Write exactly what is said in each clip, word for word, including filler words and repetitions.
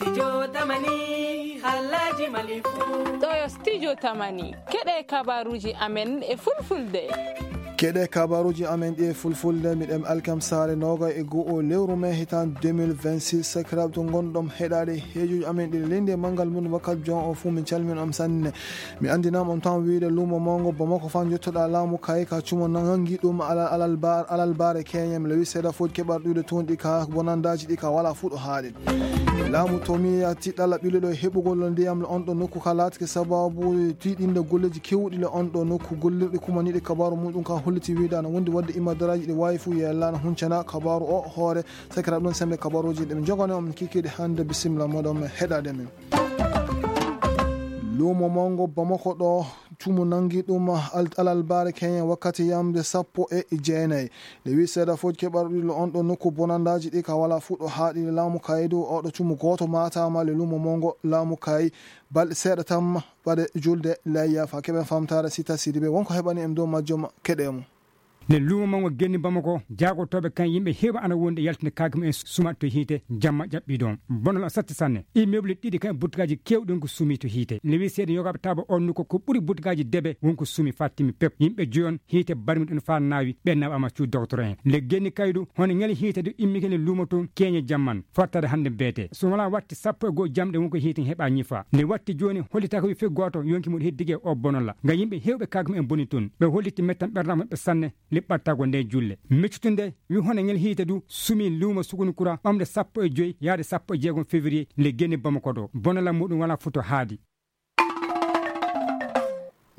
Studio Tamani, halaji Mali fu. Ɗo yo Studio Tamani. Keɗe kabaruji amen e fulfulde. Keɗe kabaruji amen ɗi e fulfulde, miɗen Alkam Saare noga e go'o lewru mai hitan deux mille vingt-six. Sakiraaɓe to ngonɗon heɗaade heejuji amen ɗi leydi e manngal mum wakkati jon o fuu, min calmin on sanne. Mi anndinama on tan wiide luumo mawngo Bamako fan jottoɗa laamu kayi ka cumo nangi ɗum alal, alal bar-, alal bare keñe. Mi lewi seeɗa fooji keɓar ɗuɗe toon ɗi ka bonandaji ɗi ka wala fuɗo haaɗi. Laamu to mi yatti ɗala ɓiluɗo heɓugol ndiyam le on ɗo nokku ka laatike sababu tiiɗinde golleji kewɗi le on ɗo nokku gollirɗi kumaniɗi kabaru muɗum ka holliti wiide ana wondi wadde imadaraji ɗi wawi fu yellana huncana kabaru o hoore. Sakiraɓe ɗon sembe kabaruji ɗi min jogani on kikiɗe hannde. Bisimilla moɗon heɗade min. Luumo mawngo Bamako ɗo cumu nangi ɗum al-, alalbaare keñen wakkati yamde sappo e jeenayi. Nde wi seeɗa fof keɓarɗo ɗiɗo on ɗo nokku bonandaji ɗi ka wala fuɗɗo haaɗi laamu kayi dow oɗo cumu gooto maataama le luumo mawngo laamu kayi balɗe seeɗa tan ɓaɗe julde layya fa keɓen famtaare Sita Sidibe wonko heɓani en dow majjum keɗe mum. Nde luumo mawngo genni Bamako, jaagotooɓe kan yimɓe heewa ana wondi e yaltinde kaake mum en suma to hiite, jamma ƴaɓɓi ɗon. Bonol o satti sanne. Immeuble ɗiɗi kan e burtukaaji keewɗi on ko sumi to hiite. Nde wi seeɗa yogaaɓe taaba on nokku ko ɓuri burtukaaji debe won ko sumi faa timmi pep. Yimɓe joyon hiite barmi ɗon faa naawi, ɓe naɓaama cuuɗi docteur en. Nde genni kaydu, hono ñali hiite du immike nde luumo toon keeñe jamman, fottade hannde beete. So wala watti sappo e goo jamɗe won ko hiite heɓa ñifa. Nde watti jooni hollitaaka wi fii gooto yonki mum heddige o bonola. Ngam yimɓe heewɓe kaake mum en boni toon. Ɓe holliti mettan ɓernaago maɓɓe sanne. Liɓɓattago nde julle. Miccutunde wi hono ngel hiite du sumi luumo Sukuni Kura ɓamde sappo e joy yaade sappo e jeegom février nde genni Bamako ɗo. Bonala muɗum wala futo haadi.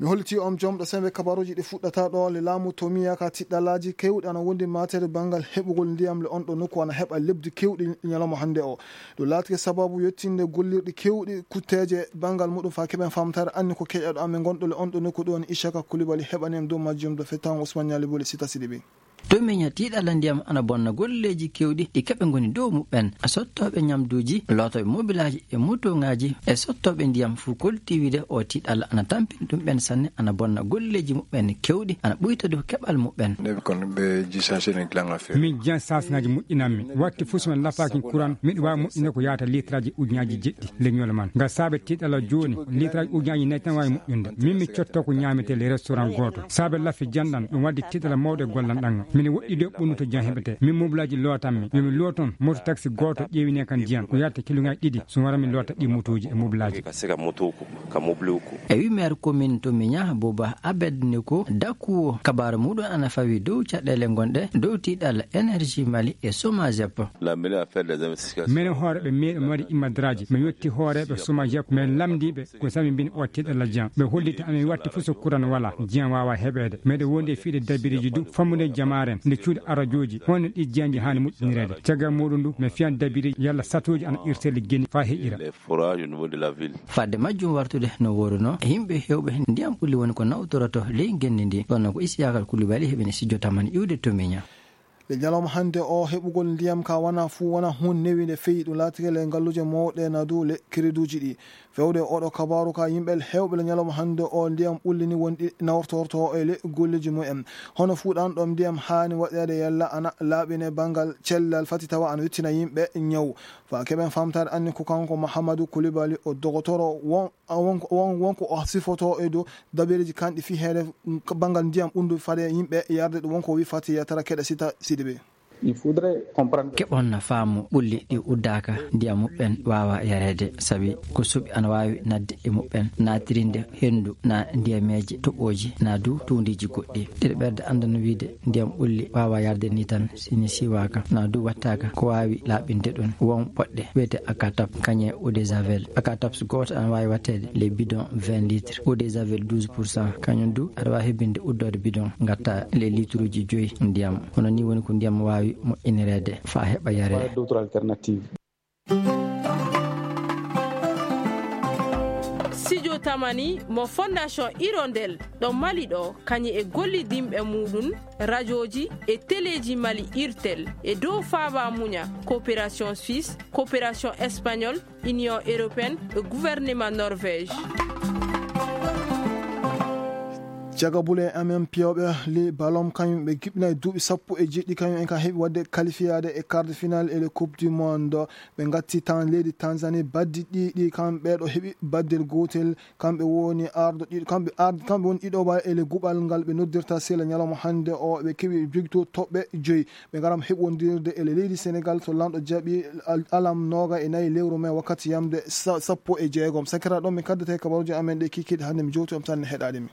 Mi holliti on jom ɗo sembe kabaruji ɗi fuɗɗata ɗo le laamu to miya ka tiɗɗalaji kewɗi ana wondi matere bangal heɓugol ndiyam le on ɗo nokku ana heɓa lebdi kewɗi ñalawma hannde o. Ɗum laatike sababu yettinde gollirɗi kewɗi kutteeje bangal muɗum fa keɓen famtare anni ko keƴaɗo amen gonɗo le on ɗo nokku ɗo woni Ishaka Kulibali heɓani en dow majjum ɗo fettan Ousmane Ñali Boli Sita Sidibi. To miña tiiɗalla ndiyam ana bonna golleeji kewɗi ɗi keɓe ngoni dow muɓɓen. Sottooɓe ñamduuji, lootooɓe mobilaaji e motooŋaaji e sottooɓe ndiyam fuu kolti wiide o tiiɗalla ana tampini ɗum ɓen sanne ana bonna golleeji muɓɓen kewɗi ana ɓuyta dow keɓal muɓɓen. Min jiyan saasŋaaji moƴƴinammi. Watti fuu so mi lafaaki kuran, miɗo waawi moƴƴinde ko yaata litraaji ujunnaaji jeɗɗi leñol man. Ngam saabe tiiɗalla jooni, litraaji ujunnaaji nayi tan waawi moƴƴinde. Min mi cotto ko ñaametee le restaurant gooto. Saabe lafi janɗan, ɗum waddi tiiɗalla mawɗo e gollan ɗan. Mine woɗɗi dow ɓunnuto jan heɓete. Min mobilaaji lootanmi. Yo mi looton, moto taxi gooto ƴeewine kan jiyan. Ko yaata kiluŋaaji ɗiɗi, so wara mi loota ɗi motooji e mobilaaji. E wi maire commune to Miña, Bouba Abed Neko, dakkuwo kabaaru muɗum ana fawi dow caɗeele gonɗe dow tiiɗalla énergie Mali e Somagep. Mene hooreeɓe meeɗi mi waɗi imadraji, mi yetti hooreeɓe Somagep, mi lamndiiɓe ko sami mbin o tiiɗalla jiyan. Ɓe holliti amin watti fof so kuran wala, jiyan waawa heɓeede. Meɗe wondi e fiiɗe dabiriji du, fammude jamaaren, nde cuuɗi arajooji, honno ɗi jiyanji haani moƴƴinireede. Caggal muɗum du, mi fiyan dabiriji yalla satooji ana irteli geni faa heƴira. Fadde majjum wartude no woruno, yimɓe heewɓe ndiyam ɓulli woni ko nawtoroto ley ngenndi ndi. Kono ko Isiyaka Kulibali heɓini sijjo tamani iwde to Miña. Le ñalawma hannde o heɓugol ndiyam ka wana fuu wana hun newi nde feyi ɗum laatike le ngalluuje mawɗe na dow le kiriduuji ɗi. Fewde oɗo kabaaru ka yimɓe heewɓe le ñalawma hannde o ndiyam ɓulli ni wonɗi nawtorto e le golleji mumen. Hono fuu ɗan ɗon ndiyam haani waɗeede yalla ana laaɓine banngal cellal fati tawa ana yottina yimɓe ñaw. Fa keɓen famtaade anni ko kanko Mahamadou Koulibaly o dogotoro won, won, won, won ko o sifoto e dow dabireji kanɗi fii heede banngal ndiyam ɓunndu fade yimɓe yarde ɗum won ko wi fati yatara keɗe Sita Sidibe. Keɓon na faamu ɓulli ɗi uddaaka ndiyam muɓɓen waawa yareede sabi ko suɓi ana waawi nadde e muɓɓen naatirinde henndu na ndiyameeje toɓooji na du tuundiiji goɗɗi. Ɗiɗo ɓerde anndano wiide ndiyam ɓulli waawa yarde ni tan si ni siwaaka na du wattaaka ko waawi laaɓinde ɗum. Won poɗɗe wiyete akatap kañe eau de javel. Akataps gooto ana waawi watteede les bidons vingt litres, eau de javel douze pour cent, kañum du aɗa waawi hebbinde uddoode bidon ngatta les litruuji joyi ndiyam. Hono ni woni ko ndiyam waawi moƴƴinireede faa heɓa yareede. Studio Tamani mo Fondation Hirondelle ɗo Mali ɗo, kañum e gollidinɓe muɗum, rajooji e teleeji Mali Irtel, e dow faaba muña, coopération suisse, coopération espagnole, Union européenne e gouvernement Norvège. Jagabule amen piyooɓe li balon kañum ɓe kiɓɓinay duuɓi sappo e jeɗɗi kañum en ka heɓi waɗde qualifiyaade e quart de finale e le coupe du monde. Ɓe ngatti tan leydi Tanzanie baddi ɗiɗi, kamɓe ɗo heɓi baddel gootel. Kamɓe woni ardo ɗiɗo kamɓe ardo kamɓe woni ɗiɗo ba e le guɓal ngal ɓe noddirta sela ñalawma hannde o. Ɓe keɓi victoire toɓɓe joyi. Ɓe ngaram heɓondirde e le leydi Sénégal to lanɗo jaɓi alam noga e nayi lewru mai wakkati yamde sappo e jeegom. Sakira ɗon mi kaddata e kabaruji amen ɗe kikiɗe hannde mi jowti on tan heɗaɗe mi.